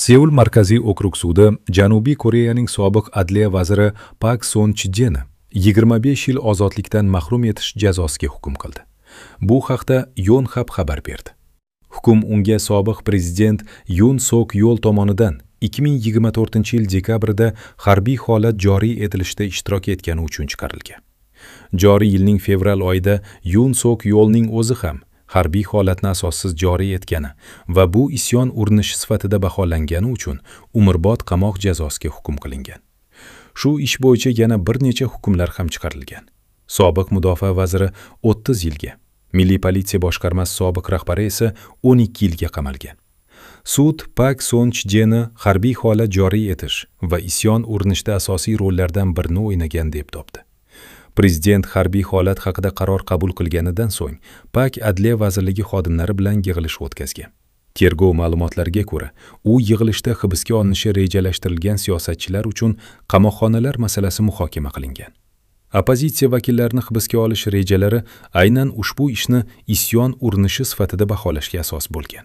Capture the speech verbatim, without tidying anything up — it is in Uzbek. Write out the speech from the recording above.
Seul markaziy okrug sudi Janubiy Koreyaning sobiq adliya vaziri Pak Son Chjeni yigirma besh yil ozodlikdan mahrum etish jazosiga hukm qildi. Bu haqda Yonhap xabar berdi. Hukm unga sobiq prezident Yun Sok Yol tomonidan ikki ming yigirma to'rtinchi yil dekabrda harbiy holat joriy etilishida ishtirok etgani uchun chiqarilgan. Joriy yilning fevral oyida Yun Sok Yolning o'zi ham harbiy holatni asossiz joriy etgani va bu isyon urinishi sifatida baholangani uchun umrbod qamoq jazosiga hukm qilingan. Shu ish bo'yicha yana bir necha hukmlar ham chiqarilgan. Sobiq mudofaa vaziri o'ttiz yilga, Milliy politsiya boshqarmasi sobiq rahbari esa o'n ikki yilga qamalgan. Sud Pak Son Chjeni harbiy holat joriy etish va isyon urinishida asosiy rollardan birini o'ynagan deb topdi. Prezident harbiy holat haqida qaror qabul qilganidan so'ng Pak Adliya vazirligi xodimlari bilan yig'ilish o'tkazgan. Tergov ma'lumotlariga ko'ra, u yig'ilishda hibsga olinishi rejalashtirilgan siyosatchilar uchun qamoqxonalar masalasi muhokama qilingan. Oppozitsiya vakillarini hibsga olish rejalari aynan ushbu ishni isyon urinishi sifatida baholashga asos bo'lgan.